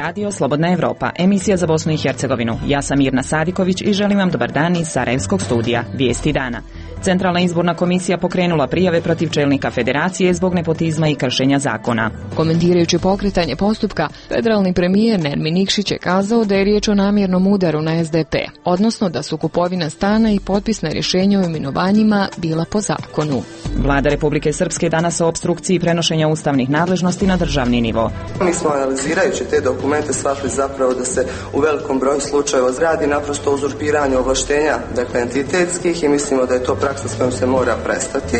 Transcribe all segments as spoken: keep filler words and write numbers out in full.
Radio Slobodna Evropa, emisija za Bosnu i Hercegovinu. Ja sam Mirna Sadiković i želim vam dobar dan iz Sarajevskog studija. Vijesti dana. Centralna izborna komisija pokrenula prijave protiv čelnika federacije zbog nepotizma i kršenja zakona. Komentirajući pokretanje postupka, federalni premijer Nermin Nikšić je kazao da je riječ o namjernom udaru na S D P, odnosno da su kupovina stana i potpis na rješenje o imenovanjima bila po zakonu. Vlada Republike Srpske danas o opstrukciji prenošenja ustavnih nadležnosti na državni nivo. Mi smo analizirajući te dokumente shvatili zapravo da se u velikom broju slučajeva radi naprosto o uzurpiranju ovlaštenja, dakle entitetskih, i mislimo da je to praksa s kojom se mora prestati.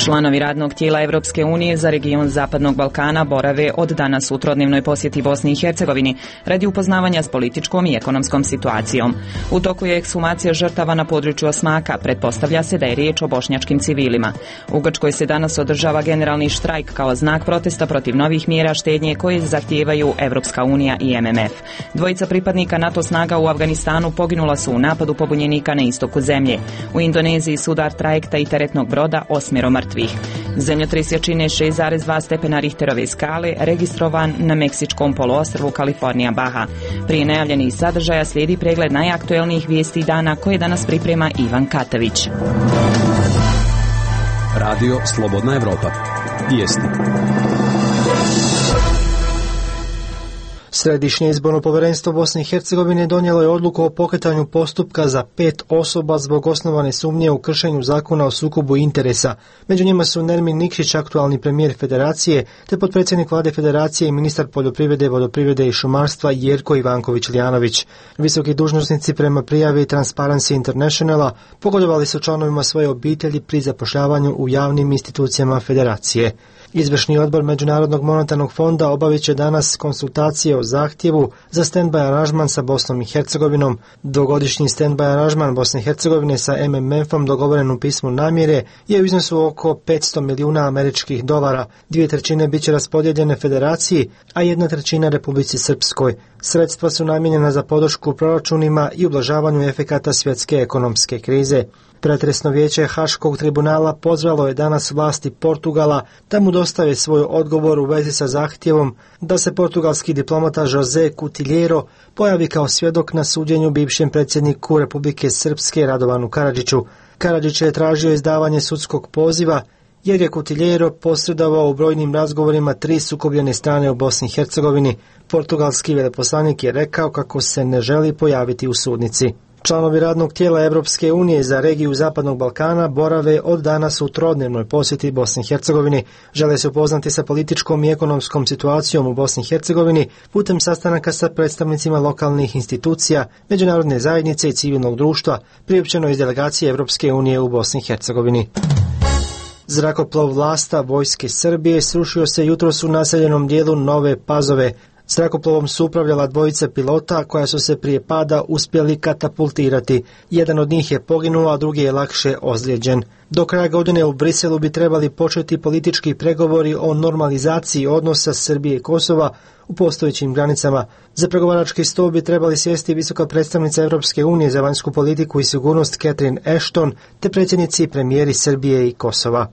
Članovi radnog tijela Evropske unije za region Zapadnog Balkana borave od danas u trodnevnoj posjeti Bosni i Hercegovini radi upoznavanja s političkom i ekonomskom situacijom. U toku je ekshumacija žrtava na području Osmaka, pretpostavlja se da je riječ o bošnjačkim civilima. U Grčkoj se danas održava generalni štrajk kao znak protesta protiv novih mjera štednje koje zahtijevaju Evropska unija i M M F. Dvojica pripadnika NATO snaga u Afganistanu poginula su u napadu pobunjenika na istoku zemlje. U Indoneziji sudar trajekta i teretnog broda, osmjero mrtvih. Zemljotres jačine šest zarez dva stepena Richterove skale registrovan na meksičkom poluostrvu Kalifornija Baha. Prije najavljenih sadržaja slijedi pregled najaktuelnijih vijesti dana koje danas priprema Ivan Katavić. Radio Slobodna Evropa. Vijesti. Središnje izborno povjerenstvo Bosne i Hercegovine donijelo je odluku o pokretanju postupka za pet osoba zbog osnovane sumnje u kršenju zakona o sukobu interesa. Među njima su Nermin Nikšić, aktualni premijer federacije, te potpredsjednik vlade federacije i ministar poljoprivrede, vodoprivrede i šumarstva Jerko Ivanković-Lijanović. Visoki dužnosnici prema prijavi Transparency Internationala pogodovali su članovima svoje obitelji pri zapošljavanju u javnim institucijama federacije. Izvršni odbor Međunarodnog monetarnog fonda obavit će danas konsultacije o zahtjevu za stand-by aranžman sa Bosnom i Hercegovinom. Dvogodišnji stand-by aranžman Bosne i Hercegovine sa M M F-om dogovoren u pismu namjere je u iznosu oko petsto milijuna američkih dolara. Dvije trećine bit će raspodijeljene federaciji, a jedna trećina Republici Srpskoj. Sredstva su namijenjena za podršku proračunima i ublažavanju efekata svjetske ekonomske krize. Pretresno vijeće Haškog tribunala pozvalo je danas vlasti Portugala da mu dostave svoj odgovor u vezi sa zahtjevom da se portugalski diplomata José Coutinheiro pojavi kao svjedok na suđenju bivšem predsjedniku Republike Srpske Radovanu Karadžiću. Karadžić je tražio izdavanje sudskog poziva jer je Coutinheiro posredovao u brojnim razgovorima tri sukobljene strane u Bosni i Hercegovini. Portugalski veleposlanik je rekao kako se ne želi pojaviti u sudnici. Članovi radnog tijela Evropske unije za regiju Zapadnog Balkana borave od danas u trodnevnoj posjeti Bosni i Hercegovini. Žele se upoznati sa političkom i ekonomskom situacijom u Bosni i Hercegovini putem sastanaka sa predstavnicima lokalnih institucija, međunarodne zajednice i civilnog društva, priopćeno iz delegacije Evropske unije u Bosni i Hercegovini. Zrakoplov Vlasta vojske Srbije srušio se jutros u naseljenom dijelu Nove Pazove. Zrakoplovom su upravljala dvojica pilota koja su se prije pada uspjeli katapultirati. Jedan od njih je poginuo, a drugi je lakše ozlijeđen. Do kraja godine u Briselu bi trebali početi politički pregovori o normalizaciji odnosa Srbije i Kosova u postojećim granicama. Za pregovarački stol bi trebali sjesti visoka predstavnica Europske unije za vanjsku politiku i sigurnost Catherine Ashton te predsjednici i premijeri Srbije i Kosova.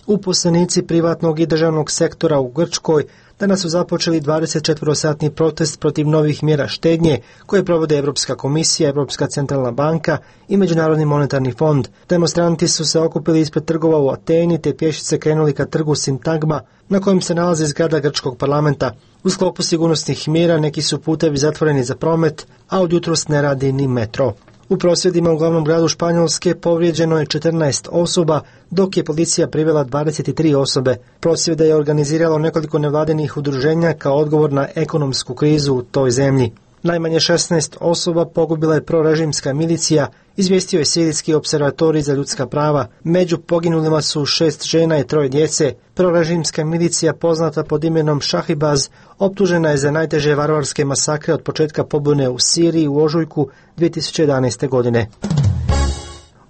Uposlenici privatnog i državnog sektora u Grčkoj danas su započeli dvadesetčetverosatni protest protiv novih mjera štednje koje provode Europska komisija, Europska centralna banka i Međunarodni monetarni fond. Demonstranti su se okupili ispred trgova u Ateni te pješice krenuli ka trgu Sintagma na kojem se nalazi zgrada grčkog parlamenta. U sklopu sigurnosnih mjera neki su putevi zatvoreni za promet, a od jutros ne radi ni metro. U prosvjedima u glavnom gradu Španjolske povrijeđeno je četrnaest osoba, dok je policija privela dvadeset tri osobe. Prosvjede je organiziralo nekoliko nevladinih udruženja kao odgovor na ekonomsku krizu u toj zemlji. Najmanje šesnaest osoba pogubila je prorežimska milicija, izvijestio je Sirijski observatorij za ljudska prava. Među poginulima su šest žena i troje djece. Prorežimska milicija, poznata pod imenom Šahibaz, optužena je za najteže varvarske masakre od početka pobune u Siriji u ožujku dvije tisuće jedanaeste. godine.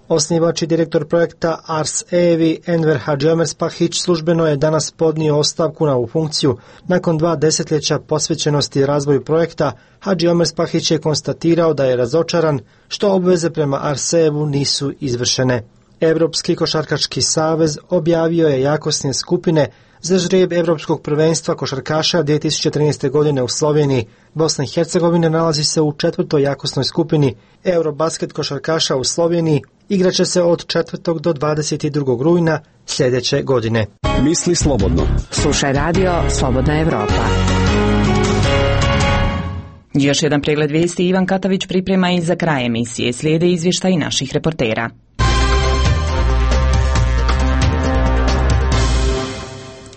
Osnivač i direktor projekta Ars Evi Enver Hadžiomerspahić službeno je danas podnio ostavku na ovu funkciju. Nakon dva desetljeća posvećenosti razvoju projekta, Hadžiomerspahić je konstatirao da je razočaran što obveze prema Ars Evu nisu izvršene. Europski košarkaški savez objavio je jakosne skupine za žrijeb Evropskog prvenstva košarkaša dvije tisuće trinaeste. godine u Sloveniji. Bosna i Hercegovina nalazi se u četvrtoj jakosnoj skupini. Eurobasket košarkaša u Sloveniji igraće se od četvrtog do dvadeset drugog rujna sljedeće godine. Misli slobodno. Slušaj radio Slobodna Evropa. Još jedan pregled vijesti Ivan Katavić priprema i za kraj emisije. Slijede izvještaji naših reportera.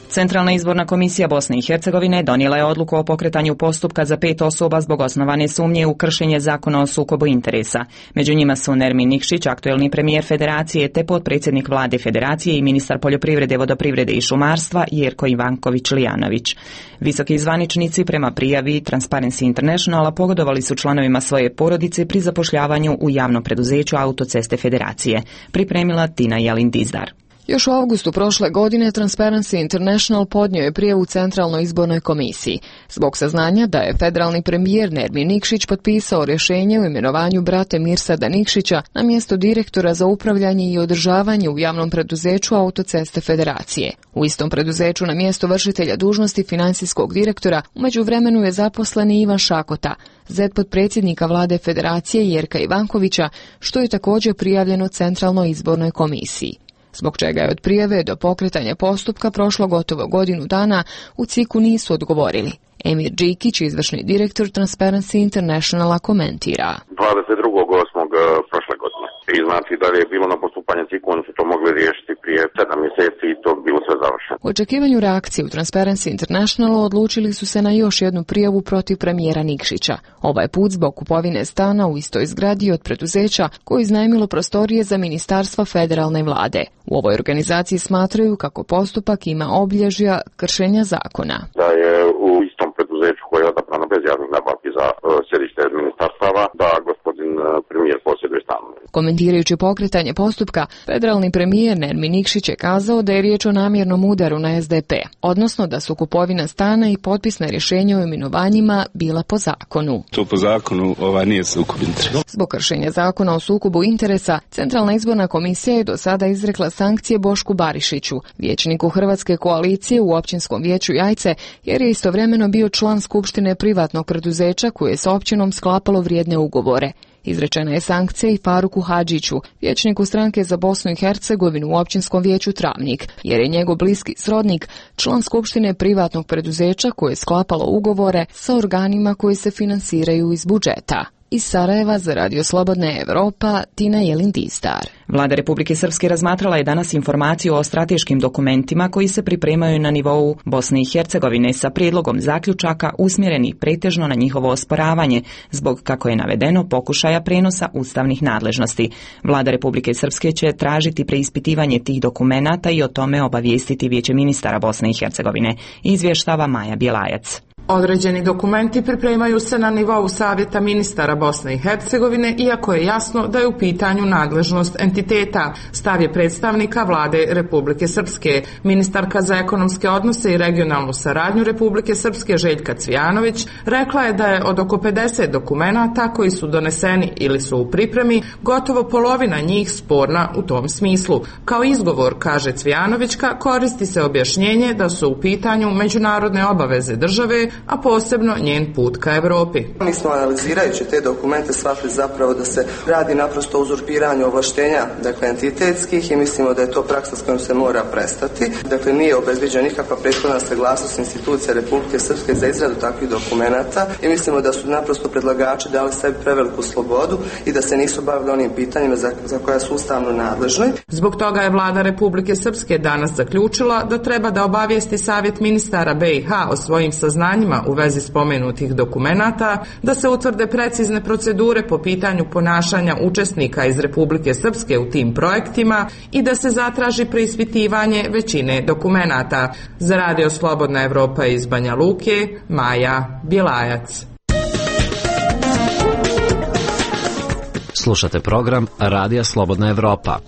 Centralna izborna komisija Bosne i Hercegovine donijela je odluku o pokretanju postupka za pet osoba zbog osnovane sumnje u kršenje zakona o sukobu interesa. Među njima su Nermin Nikšić, aktuelni premijer Federacije, te potpredsjednik vlade Federacije i ministar poljoprivrede, vodoprivrede i šumarstva Jerko Ivanković-Lijanović. Visoki zvaničnici prema prijavi Transparency Internationala pogodovali su članovima svoje porodice pri zapošljavanju u javnom preduzeću Autoceste Federacije. Pripremila Tina Jelin-Dizdar. Još u avgustu prošle godine Transparency International podnio je prijavu Centralnoj izbornoj komisiji zbog saznanja da je federalni premijer Nermin Nikšić potpisao rješenje o imenovanju brate Mirsada Nikšića na mjesto direktora za upravljanje i održavanje u javnom preduzeću Autoceste Federacije. U istom preduzeću na mjesto vršitelja dužnosti financijskog direktora u međuvremenu je zaposlen Ivan Šakota, zet potpredsjednika vlade Federacije Jerka Ivankovića, što je također prijavljeno Centralnoj izbornoj komisiji. Zbog čega je od prijave do pokretanja postupka prošlo gotovo godinu dana, u C I K-u nisu odgovorili. Emir Džikić, izvršni direktor Transparency Internationala, komentira. dvadeset drugog osmog prošle godine. I znači da je bilo na postupanje C I K-u, oni su to mogli riješiti prije sedam mjeseci i to bilo sve završeno. U očekivanju reakcije u Transparency Internationalu odlučili su se na još jednu prijavu protiv premijera Nikšića. Ovaj put zbog kupovine stana u istoj zgradi od preduzeća koje iznajmilo prostorije za ministarstva federalne vlade. U ovoj organizaciji smatraju kako postupak ima obilježja kršenja zakona. Da je u istom preduzeću koje je odabrano bez javnih nabavki za uh, sjedište ministarstava, da gospodin uh, premijer posjeduje stan. Komentirajući pokretanje postupka, federalni premijer Nermin Nikšić je kazao da je riječ o namjernom udaru na S D P, odnosno da su kupovina stana i potpisna rješenja o imenovanjima bila po zakonu. To po zakonu ova nije sukob interesa. Zbog kršenja zakona o sukobu interesa, Centralna izborna komisija je do sada izrekla sankcije Bošku Barišiću, vijećniku Hrvatske koalicije u općinskom vijeću Jajce, jer je istovremeno bio član skupštine privatnog preduzeća koje je s općinom sklapalo vrijedne ugovore. Izrečena je sankcija i Faruku Hadžiću, vijećniku stranke za Bosnu i Hercegovinu u općinskom vijeću Travnik, jer je njegov bliski srodnik član skupštine privatnog preduzeća koje je sklapalo ugovore sa organima koji se finansiraju iz budžeta. Iz Sarajeva za Radio Slobodna Evropa, Tina Jelin-Dizdar. Vlada Republike Srpske razmatrala je danas informaciju o strateškim dokumentima koji se pripremaju na nivou Bosne i Hercegovine sa prijedlogom zaključaka usmjerenih pretežno na njihovo osporavanje zbog, kako je navedeno, pokušaja prenosa ustavnih nadležnosti. Vlada Republike Srpske će tražiti preispitivanje tih dokumenata i o tome obavijestiti Vijeće ministara Bosne i Hercegovine, izvještava Maja Bjelajac. Određeni dokumenti pripremaju se na nivou Savjeta ministara Bosne i Hercegovine, iako je jasno da je u pitanju nadležnost entiteta. Stav je predstavnika vlade Republike Srpske. Ministarka za ekonomske odnose i regionalnu saradnju Republike Srpske Željka Cvijanović rekla je da je od oko pedeset dokumenata koji su doneseni ili su u pripremi, gotovo polovina njih sporna u tom smislu. Kao izgovor, kaže Cvijanovićka, koristi se objašnjenje da su u pitanju međunarodne obaveze države, a posebno njen put ka Europi. Mi smo analizirajući te dokumente shvatili zapravo da se radi naprosto o uzurpiranju ovlaštenja, dakle entitetskih, i mislimo da je to praksa s kojom se mora prestati. Dakle, nije obezbeđena nikakva prethodna saglasnost institucija Republike Srpske za izradu takvih dokumenata i mislimo da su naprosto predlagači dali sebi preveliku slobodu i da se nisu bavili onim pitanjima za, za koja su ustavno nadležni. Zbog toga je vlada Republike Srpske danas zaključila da treba da obavijesti Savjet ministara B i H o svojim saznanjima u vezi spomenutih dokumenata, da se utvrde precizne procedure po pitanju ponašanja učesnika iz Republike Srpske u tim projektima i da se zatraži preispitivanje većine dokumenata. Za Radio Slobodna Evropa iz Banja Luke, Maja Bjelajac. Slušate program Radija Slobodna Evropa.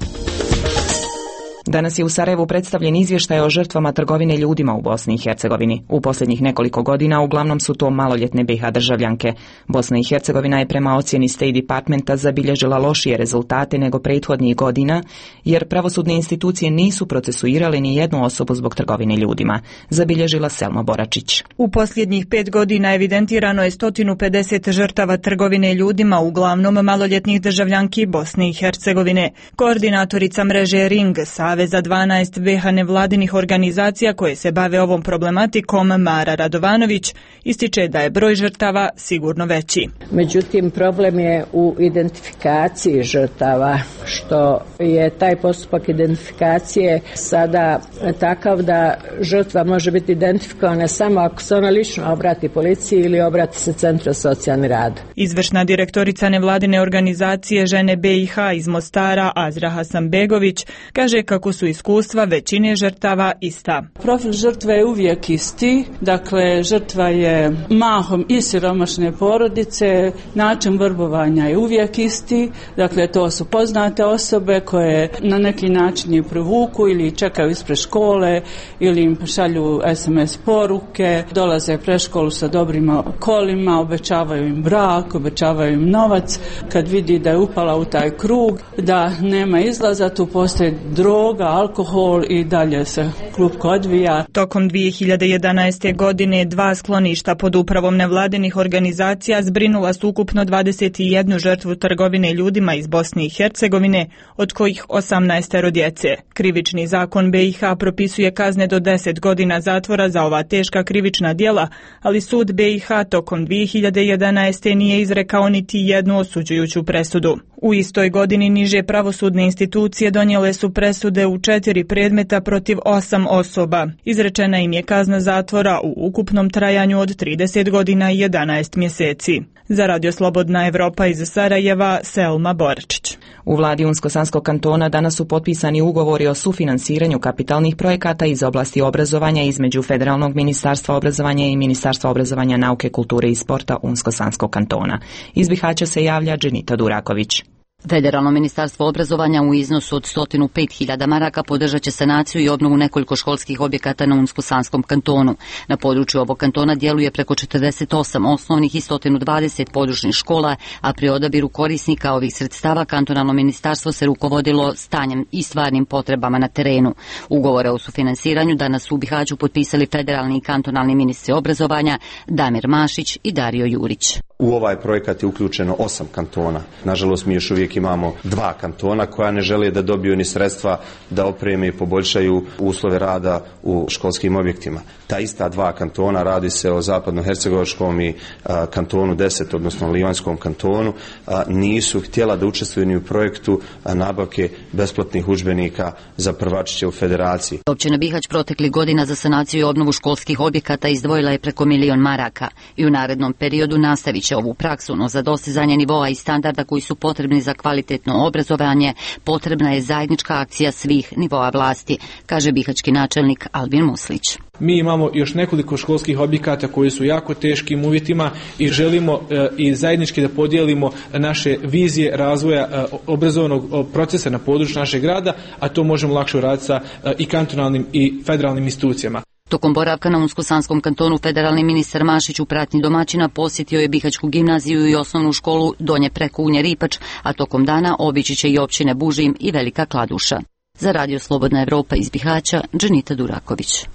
Danas je u Sarajevu predstavljen izvještaj o žrtvama trgovine ljudima u Bosni i Hercegovini. U posljednjih nekoliko godina uglavnom su to maloljetne B i H državljanke. Bosna i Hercegovina je prema ocjeni State Departmenta zabilježila lošije rezultate nego prethodnih godina, jer pravosudne institucije nisu procesuirale ni jednu osobu zbog trgovine ljudima, zabilježila Selma Boračić. U posljednjih pet godina evidentirano je sto pedeset žrtava trgovine ljudima, uglavnom maloljetnih državljanki Bosne i Hercegovine. Koordinatorica mreže Ring, Saveza dvanaest B i H nevladinih organizacija koje se bave ovom problematikom, Mara Radovanović, ističe da je broj žrtava sigurno veći. Međutim, problem je u identifikaciji žrtava, što je taj postupak identifikacije sada takav da žrtva može biti identifikovana samo ako se ona lično obrati policiji ili obrati se Centru za socijalni rad. Izvršna direktorica nevladine organizacije Žene B i H iz Mostara, Azra Hasanbegović, kaže kako su iskustva većine žrtava ista. Profil žrtve je uvijek isti, dakle žrtva je mahom i siromašne porodice, način vrbovanja je uvijek isti, dakle to su poznate osobe koje na neki način je privuku ili čekaju ispred škole ili im šalju es em es poruke, dolaze pred školu sa dobrim kolima, obećavaju im brak, obećavaju im novac, kad vidi da je upala u taj krug, da nema izlaza, tu postoji droga, alkohol i dalje se klupko odvija. Tokom dvije hiljade jedanaeste. godine dva skloništa pod upravom nevladinih organizacija zbrinula su ukupno dvadeset jednu žrtvu trgovine ljudima iz Bosne i Hercegovine, od kojih osamnaestero djece. Krivični zakon B i H propisuje kazne do deset godina zatvora za ova teška krivična djela, ali sud B i H tokom dvije hiljade jedanaeste. nije izrekao niti jednu osuđujuću presudu. U istoj godini niže pravosudne institucije donijele su presude u četiri predmeta protiv osam osoba. Izrečena im je kazna zatvora u ukupnom trajanju od trideset godina i jedanaest mjeseci. Za Radio Slobodna Evropa iz Sarajeva, Selma Boračić. U vladi Unsko-Sanskog kantona danas su potpisani ugovori o sufinansiranju kapitalnih projekata iz oblasti obrazovanja između Federalnog ministarstva obrazovanja i Ministarstva obrazovanja, nauke, kulture i sporta Unsko-Sanskog kantona. Iz Bihaća se javlja Dženita Duraković. Federalno ministarstvo obrazovanja u iznosu od sto pet hiljada maraka podržat će sanaciju i obnovu nekoliko školskih objekata na Unsko-Sanskom kantonu. Na području ovog kantona djeluje preko četrdeset osam osnovnih i sto dvadeset područnih škola, a pri odabiru korisnika ovih sredstava kantonalno ministarstvo se rukovodilo stanjem i stvarnim potrebama na terenu. Ugovore o sufinansiranju danas u Bihaću potpisali federalni i kantonalni ministri obrazovanja Damir Mašić i Dario Jurić. U ovaj projekat je uključeno osam kantona. Nažalost, mi još uvijek imamo dva kantona koja ne žele da dobiju ni sredstva da opreme i poboljšaju uslove rada u školskim objektima. Ta ista dva kantona, radi se o zapadnohercegovačkom i a, kantonu deset, odnosno Livanskom kantonu, a, nisu htjela da učestvuju ni u projektu a, nabavke besplatnih udžbenika za prvačiće u federaciji. Općina Bihać protekli godina za sanaciju i obnovu školskih objekata izdvojila je preko milion maraka i u narednom periodu nastavit će ovu praksu, no za dostizanje nivoa i standarda koji su potrebni za kvalitetno obrazovanje potrebna je zajednička akcija svih nivoa vlasti, kaže bihaćki načelnik Albin Muslić. Mi imamo još nekoliko školskih objekata koji su jako teškim uvjetima i želimo e, i zajednički da podijelimo naše vizije razvoja e, obrazovnog procesa na području našeg grada, a to možemo lakše uraditi sa e, i kantonalnim i federalnim institucijama. Tokom boravka na Unsko-Sanskom kantonu federalni ministar Mašić u pratnji domaćina posjetio je Bihaćku gimnaziju i osnovnu školu Donje Prekunje Ripač, a tokom dana obići će i općine Bužim i Velika Kladuša. Za Radio Slobodna Evropa iz Bihaća, Dženita Duraković.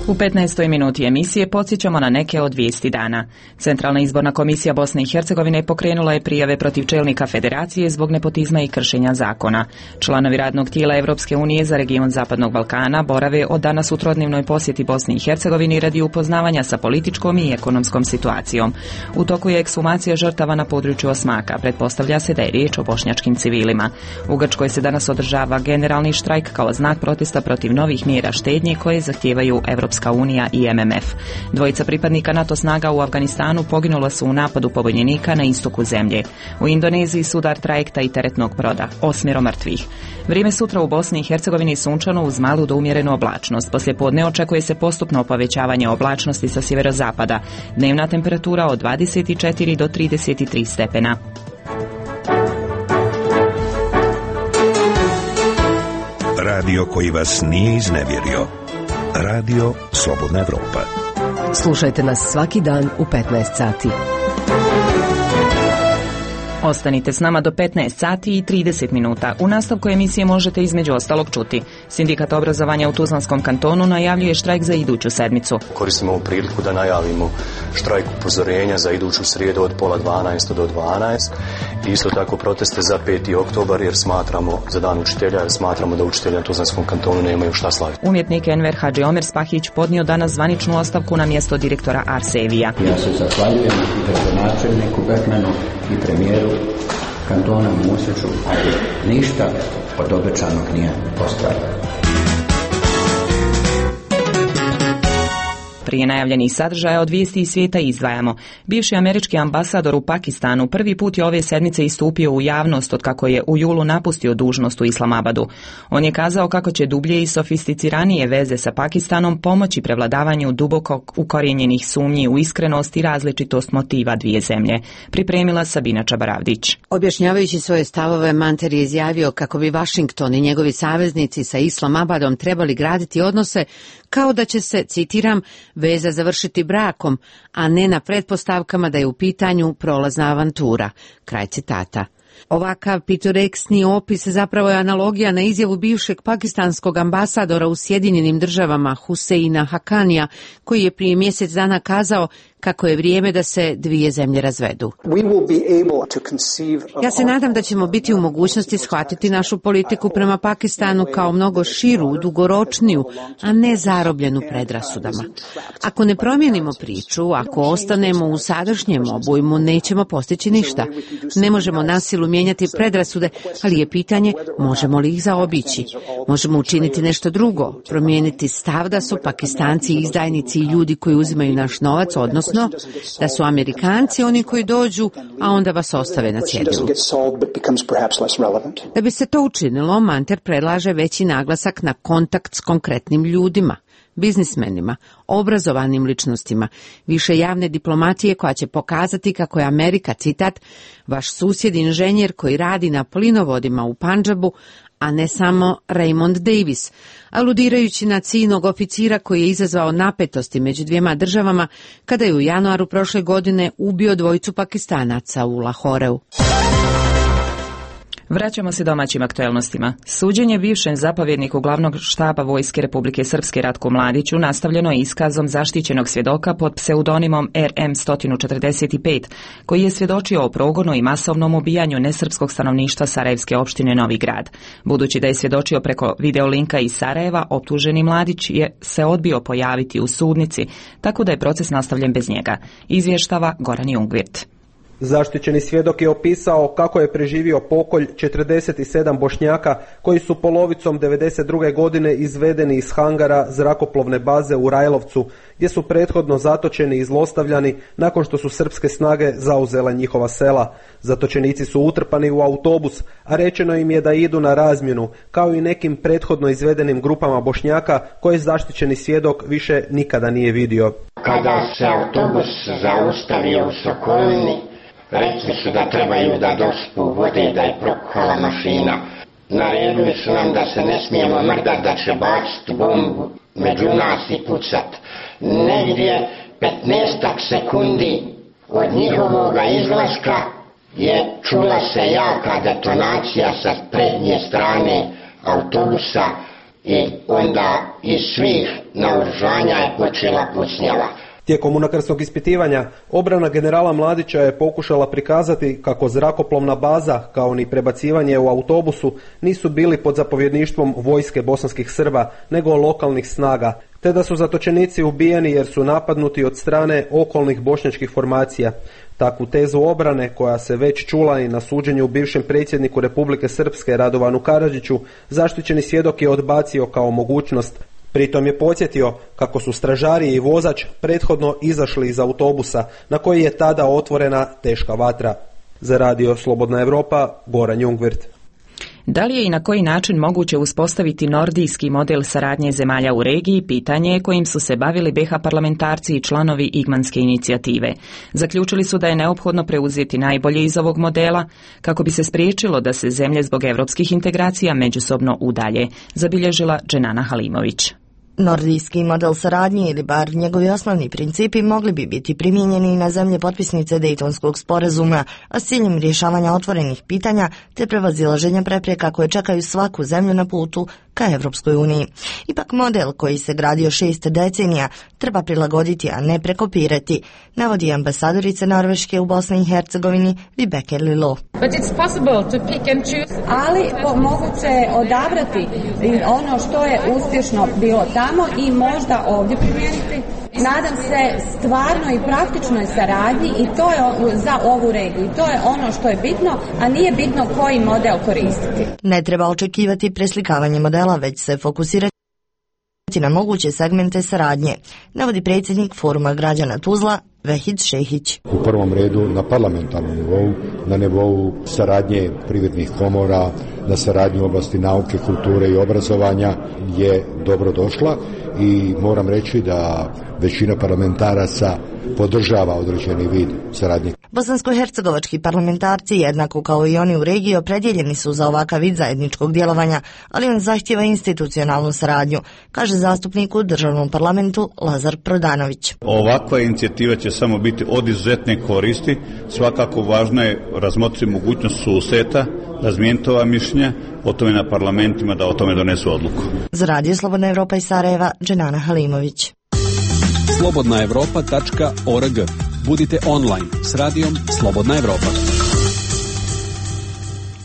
U petnaestoj minuti emisije podsjećamo na neke od vijesti dana. Centralna izborna komisija Bosne i Hercegovine pokrenula je prijave protiv čelnika federacije zbog nepotizma i kršenja zakona. Članovi radnog tijela Evropske unije za region Zapadnog Balkana borave od danas u trodnevnoj posjeti Bosni i Hercegovini radi upoznavanja sa političkom i ekonomskom situacijom. U toku je ekshumacija žrtava na području Osmaka. Pretpostavlja se da je riječ o bošnjačkim civilima. U Grčkoj se danas održava generalni štrajk kao znak protesta protiv novih mjera štednje koje zahtijevaju Evropska unija i em em ef. Dvojica pripadnika NATO snaga u Afganistanu poginula su u napadu pobunjenika na istoku zemlje. U Indoneziji sudar trajekta i teretnog broda, osmero mrtvih. Vrijeme sutra u Bosni i Hercegovini sunčano uz malu do umjerenu oblačnost. Poslije podne očekuje se postupno povećavanje oblačnosti sa sjeverozapada. Dnevna temperatura od dvadeset četiri do trideset tri stepena. Radio koji vas nije iznevjerio. Radio Slobodna Evropa. Slušajte nas svaki dan u petnaest sati. Ostanite s nama do petnaest sati i trideset minuta. U nastavku emisije možete između ostalog čuti. Sindikat obrazovanja u Tuzlanskom kantonu najavljuje štrajk za iduću sedmicu. Koristimo ovu priliku da najavimo štrajk upozorenja za iduću srijedu od pola dvanaest do dvanaest. Isto tako proteste za peti oktobar jer smatramo, za dan učitelja, jer smatramo da učitelji na Tuzlanskom kantonu nemaju šta slaviti. Umjetnik Enver Hadži Omer Spahić podnio danas zvaničnu ostavku na mjesto direktora Arsevija. Ja se zahvaljujem i gradonačelniku Bergmanu i premijeru kantona Musiću, ali ništa od obećanog nije ostvareno. Prije najavljenih sadržaja od vijesti iz svijeta izdvajamo. Bivši američki ambasador u Pakistanu prvi put je ove sedmice istupio u javnost od kako je u julu napustio dužnost u Islamabadu. On je kazao kako će dublje i sofisticiranije veze sa Pakistanom pomoći prevladavanju duboko ukorijenjenih sumnji u iskrenost i različitost motiva dvije zemlje. Pripremila Sabina Čabaravdić. Objašnjavajući svoje stavove, Manter je izjavio kako bi Washington i njegovi saveznici sa Islamabadom trebali graditi odnose kao da će se, citiram, veza završiti brakom, a ne na pretpostavkama da je u pitanju prolazna avantura. Kraj citata. Ovakav pitoreksni opis zapravo je analogija na izjavu bivšeg pakistanskog ambasadora u Sjedinjenim državama Huseina Hakanija, koji je prije mjesec dana kazao kako je vrijeme da se dvije zemlje razvedu. Ja se nadam da ćemo biti u mogućnosti shvatiti našu politiku prema Pakistanu kao mnogo širu, dugoročniju, a ne zarobljenu predrasudama. Ako ne promijenimo priču, ako ostanemo u sadašnjem obujmu, nećemo postići ništa. Ne možemo na silu mijenjati predrasude, ali je pitanje možemo li ih zaobići. Možemo učiniti nešto drugo, promijeniti stav da su Pakistanci izdajnici i ljudi koji uzimaju naš novac, odnosno da su Amerikanci oni koji dođu, a onda vas ostave na cjedilu. Da bi se to učinilo, Manter predlaže veći naglasak na kontakt s konkretnim ljudima, biznismenima, obrazovanim ličnostima, više javne diplomatije koja će pokazati kako je Amerika, citat, vaš susjed inženjer koji radi na plinovodima u Pandžabu, a ne samo Raymond Davis, aludirajući na ciljnog oficira koji je izazvao napetosti među dvijema državama kada je u januaru prošle godine ubio dvojicu Pakistanaca u Lahoreu. Vraćamo se domaćim aktuelnostima. Suđenje bivšem zapovjedniku glavnog štaba Vojske Republike Srpske Ratku Mladiću nastavljeno je iskazom zaštićenog svjedoka pod pseudonimom R M sto četrdeset pet, koji je svjedočio o progonu i masovnom ubijanju nesrpskog stanovništva Sarajevske opštine Novi Grad. Budući da je svjedočio preko videolinka iz Sarajeva, optuženi Mladić je se odbio pojaviti u sudnici, tako da je proces nastavljen bez njega. Izvještava Goran Jungvirt. Zaštićeni svjedok je opisao kako je preživio pokolj četrdeset sedam Bošnjaka koji su polovicom devedeset druge godine izvedeni iz hangara zrakoplovne baze u Rajlovcu, gdje su prethodno zatočeni i zlostavljani nakon što su srpske snage zauzele njihova sela. Zatočenici su utrpani u autobus, a rečeno im je da idu na razmjenu, kao i nekim prethodno izvedenim grupama Bošnjaka koje zaštićeni svjedok više nikada nije vidio. Kada se autobus zaustavio u Sokolini, rekli su da trebaju da dospu vode, da je prokuhala mašina. Naredili su nam da se ne smijemo mrdat, da će baciti bombu među nas i pucat. Negdje petnaestak sekundi od njihovog izlaska je čula se jaka detonacija sa prednje strane autobusa i onda iz svih naoružanja je počela pucnjava. Tijekom unakrstnog ispitivanja, obrana generala Mladića je pokušala prikazati kako zrakoplovna baza, kao ni prebacivanje u autobusu, nisu bili pod zapovjedništvom vojske bosanskih Srba, nego lokalnih snaga, te da su zatočenici ubijeni jer su napadnuti od strane okolnih bošnjačkih formacija. Takvu tezu obrane, koja se već čula i na suđenju bivšem predsjedniku Republike Srpske Radovanu Karadžiću, zaštićeni svjedok je odbacio kao mogućnost. Pritom je podsjetio kako su stražari i vozač prethodno izašli iz autobusa na koji je tada otvorena teška vatra. Za radio Slobodna Evropa, Goran Jungvirt. Da li je i na koji način moguće uspostaviti nordijski model saradnje zemalja u regiji, pitanje je kojim su se bavili B H parlamentarci i članovi Igmanske inicijative. Zaključili su da je neophodno preuzeti najbolje iz ovog modela kako bi se spriječilo da se zemlje zbog evropskih integracija međusobno udalje, zabilježila Dženana Halimović. Nordijski model saradnje ili bar njegovi osnovni principi mogli bi biti primijenjeni na zemlje potpisnice Dejtonskog sporazuma, a s ciljem rješavanja otvorenih pitanja te prevazilaženja prepreka koje čekaju svaku zemlju na putu ka Evropskoj uniji. Ipak model koji se gradio šest decenija treba prilagoditi, a ne prekopirati, navodi ambasadorica Norveške u Bosni i Hercegovini Vibeke Lilo. Ali moguće je odabrati ono što je uspješno bilo tamo i možda ovdje primijeniti. Nadam se stvarno i praktičnoj saradnji i to je za ovu regiju. To je ono što je bitno, a nije bitno koji model koristiti. Ne treba očekivati preslikavanje modela, već se fokusirati na moguće segmente saradnje, navodi predsjednik Foruma građana Tuzla Vehid Šehić. U prvom redu na parlamentarnom nivou, na nivou saradnje privrednih komora, na saradnju u oblasti nauke, kulture i obrazovanja je dobro došla i moram reći da većina parlamentaraca podržava određeni vid saradnje. Bosansko-hercegovački parlamentarci, jednako kao i oni u regiji, opredjeljeni su za ovakav vid zajedničkog djelovanja, ali on zahtjeva institucionalnu saradnju, kaže zastupnik u državnom parlamentu Lazar Prodanović. Ovakva inicijativa će samo biti od izuzetne koristi. Svakako važno je razmotriti mogućnost susreta, razmijeniti ova mišljenja, o tome na parlamentima da o tome donesu odluku. Za Radio Slobodna Evropa iz Sarajeva, Dženana Halimović. slobodna evropa tačka org. Budite online s radijom Slobodna Evropa.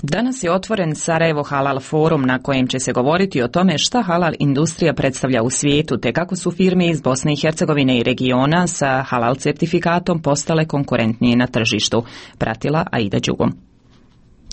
Danas je otvoren Sarajevo Halal forum na kojem će se govoriti o tome šta halal industrija predstavlja u svijetu te kako su firme iz Bosne i Hercegovine i regiona sa halal certifikatom postale konkurentnije na tržištu. Pratila Aida Đugom.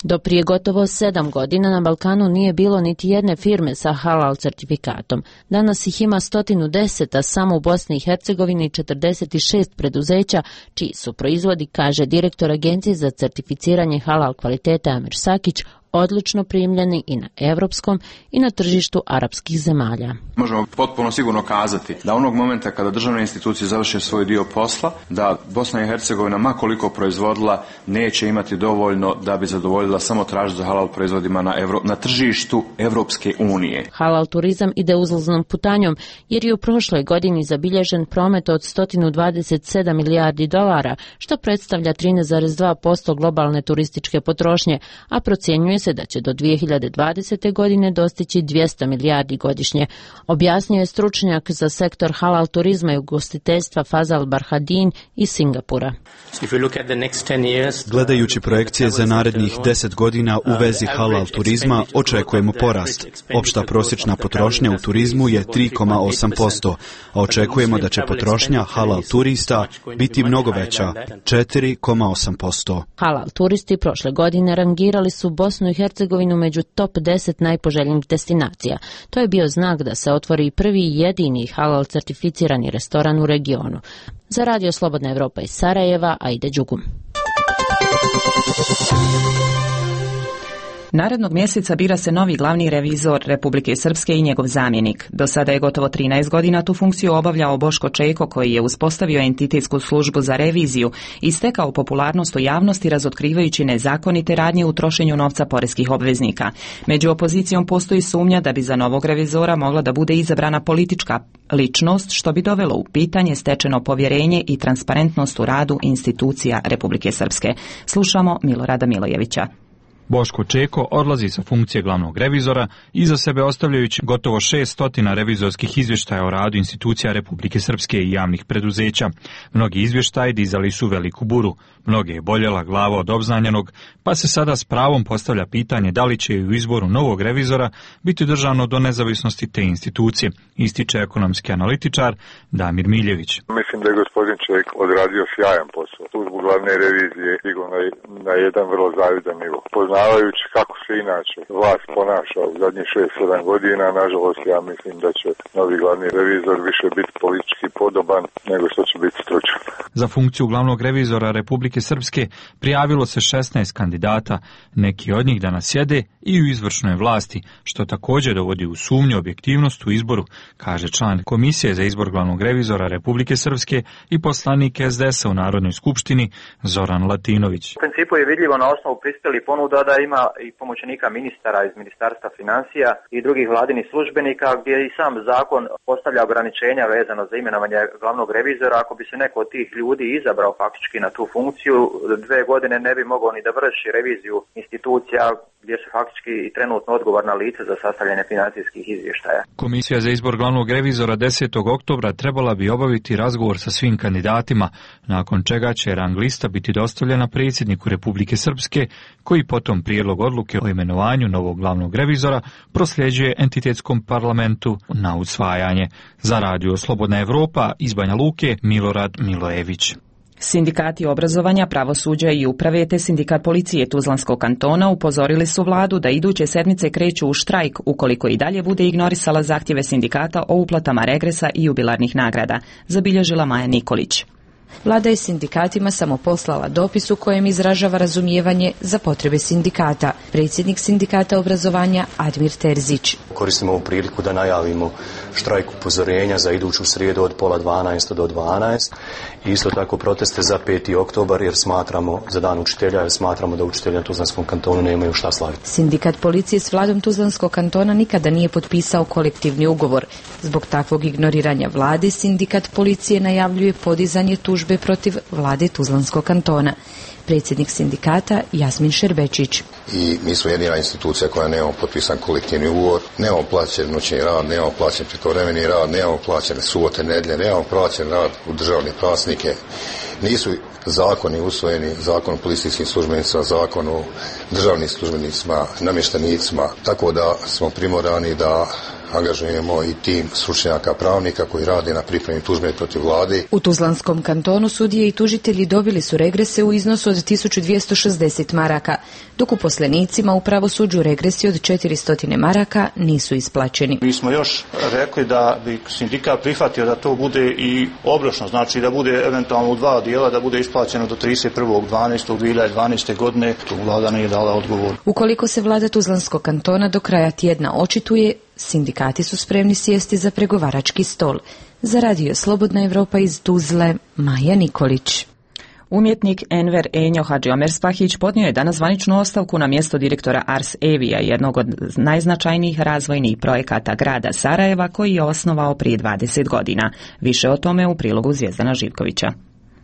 Do prije gotovo sedam godina na Balkanu nije bilo niti jedne firme sa halal certifikatom. Danas ih ima sto deset, a samo u Bosni i Hercegovini četrdeset šest preduzeća čiji su proizvodi, kaže direktor Agencije za certificiranje halal kvalitete Amir Sakić, odlično primljeni i na evropskom i na tržištu arapskih zemalja. Možemo potpuno sigurno kazati da onog momenta kada državne institucije završe svoj dio posla, da Bosna i Hercegovina, ma koliko proizvodila, neće imati dovoljno da bi zadovoljila samo tražnju za halal proizvodima na, Evro, na tržištu Evropske unije. Halal turizam ide uzlaznom putanjom jer je u prošloj godini zabilježen promet od sto dvadeset sedam milijardi dolara, što predstavlja trinaest zarez dva posto globalne turističke potrošnje, a procjenjuje se da će do dvije hiljade dvadesete. godine dostići dvjesto milijardi godišnje. Objasnio je stručnjak za sektor halal turizma i ugostiteljstva Fazal Barhadin iz Singapura. Gledajući projekcije za narednih deset godina u vezi halal turizma, očekujemo porast. Opšta prosječna potrošnja u turizmu je tri zarez osam posto, a očekujemo da će potrošnja halal turista biti mnogo veća, četiri zarez osam posto. Halal turisti prošle godine rangirali su Bosnu i Hercegovinu među top deset najpoželjnijih destinacija. To je bio znak da se otvori prvi i jedini halal certificirani restoran u regionu. Za Radio Slobodna Evropa iz Sarajeva, Aida Đugum. Narednog mjeseca bira se novi glavni revizor Republike Srpske i njegov zamjenik. Do sada je gotovo trinaest godina tu funkciju obavljao Boško Čeko, koji je uspostavio entitetsku službu za reviziju i stekao popularnost u javnosti razotkrivajući nezakonite radnje u trošenju novca poreskih obveznika. Među opozicijom postoji sumnja da bi za novog revizora mogla da bude izabrana politička ličnost, što bi dovelo u pitanje stečeno povjerenje i transparentnost u radu institucija Republike Srpske. Slušamo Milorada Milojevića. Boško Čeko odlazi sa funkcije glavnog revizora, iza sebe ostavljajući gotovo šessto revizorskih izvještaja o radu institucija Republike Srpske i javnih preduzeća. Mnogi izvještaji dizali su veliku buru, mnoge je boljela glava od obznanjenog, pa se sada s pravom postavlja pitanje da li će u izboru novog revizora biti držano do nezavisnosti te institucije, ističe ekonomski analitičar Damir Miljević. Mislim da je gospodin Čeko odradio sjajan posao. Službu glavne revizije digao na, na jedan vrlo zavidan nivo. Poznavajući kako se inače vlast ponaša u zadnjih šest sedam godina, nažalost ja mislim da će novi glavni revizor više biti politički podoban nego što će biti stručan. Za funkciju glavnog revizora Republike Srpske prijavilo se šesnaest kandidata, neki od njih danas sjede i u izvršnoj vlasti, što također dovodi u sumnju objektivnost u izboru, kaže član Komisije za izbor glavnog revizora Republike Srpske i poslanik es de esa u Narodnoj skupštini Zoran Latinović. U principu je vidljivo na osnovu prispjelih ponuda da ima i pomoćnika ministara iz Ministarstva financija i drugih vladinih službenika, gdje i sam zakon postavlja ograničenja vezano za imenovanje glavnog revizora. Ako bi se neko od tih ljudi izabrao faktički na tu funkciju, dve godine ne bi mogao ni da vrši reviziju institucija gdje su faktički i trenutno odgovorna lica za sastavljanje financijskih izvještaja. Komisija za izbor glavnog revizora desetog oktobra trebala bi obaviti razgovor sa svim kandidatima, nakon čega će rang lista biti dostavljena predsjedniku Republike Srpske, koji potom prijedlog odluke o imenovanju novog glavnog revizora prosljeđuje entitetskom parlamentu na usvajanje. Za radio Slobodna Evropa iz Banja Luke, Milorad Milojević. Sindikati obrazovanja, pravosuđa i uprave te sindikat policije Tuzlanskog kantona upozorili su vladu da iduće sedmice kreću u štrajk ukoliko i dalje bude ignorisala zahtjeve sindikata o uplatama regresa i jubilarnih nagrada, zabilježila Maja Nikolić. Vlada je sindikatima samo poslala dopis u kojem izražava razumijevanje za potrebe sindikata. Predsjednik sindikata obrazovanja Admir Terzić. Koristimo ovu priliku da najavimo štrajk upozorenja za iduću srijedu od pola dvanaest do dvanaest i isto tako proteste za peti oktobar jer smatramo, za dan učitelja, jer smatramo da učitelji na Tuzlanskom kantonu nemaju šta slaviti. Sindikat policije s vladom Tuzlanskog kantona nikada nije potpisao kolektivni ugovor. Zbog takvog ignoriranja vlade, sindikat policije najavljuje podizanje tužbe protiv vlade Tuzlanskog kantona. Predsjednik sindikata Jasmin Šerbečić. I mi smo jedina institucija koja nemamo potpisan kolektivni ugovor, nemamo plaćen noćni rad, nemamo plaćen prekovremeni rad, nemamo plaćene subote, nedjelje, nemamo plaćen rad u državne praznike. Nisu zakoni usvojeni, zakon o policijskim službenicima, zakon o državnim službenicima, namještenicima, tako da smo primorani da angažujemo i tim stručnjaka pravnika koji rade na pripremi tužbe protiv vlade. U Tuzlanskom kantonu sudije i tužitelji dobili su regrese u iznosu od tisuću dvjesto šezdeset maraka, dok uposlenicima u pravosuđu regresi od četiristo maraka nisu isplaćeni. Mi smo još rekli da bi sindikat prihvatio da to bude i obročno, znači da bude eventualno u dva dijela, da bude isplaćeno do trideset prvog dvanaestog dvije hiljade dvanaeste. godine. Tu vlada nije dala odgovor. Ukoliko se vlada Tuzlanskog kantona do kraja tjedna očituje, sindikati su spremni sjesti za pregovarački stol. Za radio Slobodna Evropa iz Tuzle, Maja Nikolić. Umjetnik Enver Enjo Hadžiomerspahić podnio je danas zvaničnu ostavku na mjesto direktora Ars Evija, jednog od najznačajnijih razvojnih projekata grada Sarajeva koji je osnovao prije dvadeset godina. Više o tome u prilogu Zvijezdana Živkovića.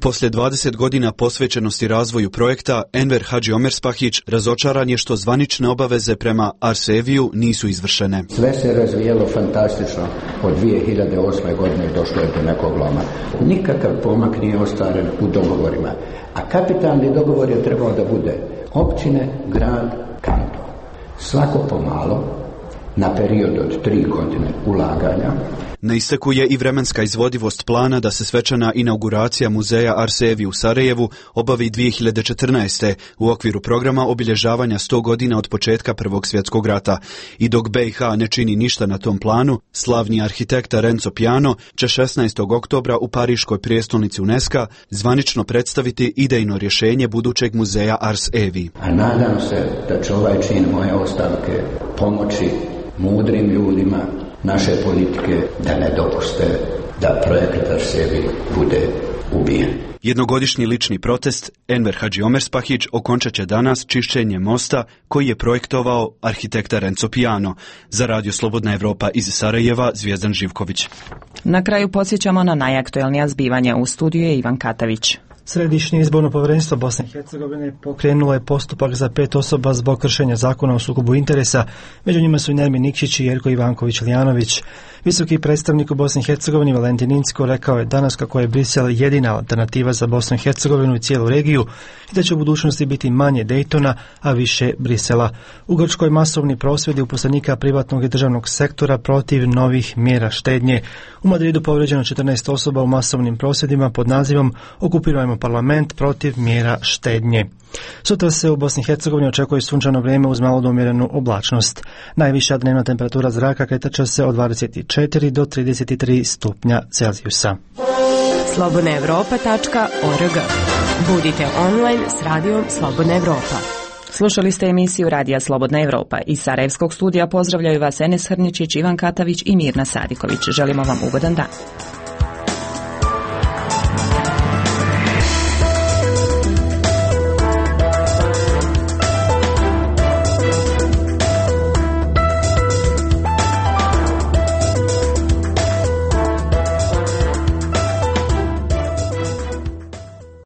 Poslije dvadeset godina posvećenosti razvoju projekta, Enver Hadžiomerspahić razočaran je što zvanične obaveze prema Arseviju nisu izvršene. Sve se razvijelo fantastično. Od dvije hiljade osme. godine došlo je do nekog loma. Nikakav pomak nije ostvaren u dogovorima. A kapitalni dogovor je trebao da bude općine, grad, kanton. Svako pomalo, na period od tri godine ulaganja. Na isteku je i vremenska izvodivost plana da se svečana inauguracija muzeja Arsevi u Sarajevu obavi dvije hiljade četrnaeste. u okviru programa obilježavanja sto godina od početka Prvog svjetskog rata. I dok be i ha ne čini ništa na tom planu, slavni arhitekta Renzo Piano će šesnaestog oktobra u Pariškoj prijestolnici UNESCO zvanično predstaviti idejno rješenje budućeg muzeja Ars Evi. A nadam se da će ovaj čin moje ostavke pomoći mudrim ljudima naše politike da ne dopuste da projekt Arsevi bude ubijen. Jednogodišnji lični protest Enver Hadžiomerspahić okončat će danas čišćenje mosta koji je projektovao arhitekta Renzo Piano. Za radio Slobodna Evropa iz Sarajeva, Zvijezdan Živković. Na kraju podsjećamo na najaktuelnija zbivanja. U studiju je Ivan Katavić. Središnje izborno povjerenstvo Bosne i Hercegovine pokrenulo je postupak za pet osoba zbog kršenja zakona o sukobu interesa. Među njima su i Nermin Nikšić i Jerko Ivanković-Lijanović. Visoki predstavnik u Bosni i Hercegovini Valentin Incko rekao je danas kako je Brisel jedina alternativa za Bosnu i Hercegovinu i cijelu regiju i da će u budućnosti biti manje Dejtona, a više Brisela. U Grčkoj masovni prosvjedi uposlenika privatnog i državnog sektora protiv novih mjera štednje. U Madridu povrijeđeno četrnaest osoba u masovnim prosvjedima pod nazivom Okupirajmo parlament protiv mjera štednje. Sutra se u Bosni i Hercegovini očekuje sunčano vrijeme uz malo do umjerenu oblačnost. Najviša dnevna temperatura zraka kretat će se od dvadeset četiri do trideset tri stupnja Celzijusa. slobodna evropa tačka org. Budite online s radijom Slobodna Evropa. Slušali ste emisiju Radija Slobodna Evropa. Iz Sarajevskog studija pozdravljaju vas Enes Hrničić, Ivan Katavić i Mirna Sadiković. Želimo vam ugodan dan.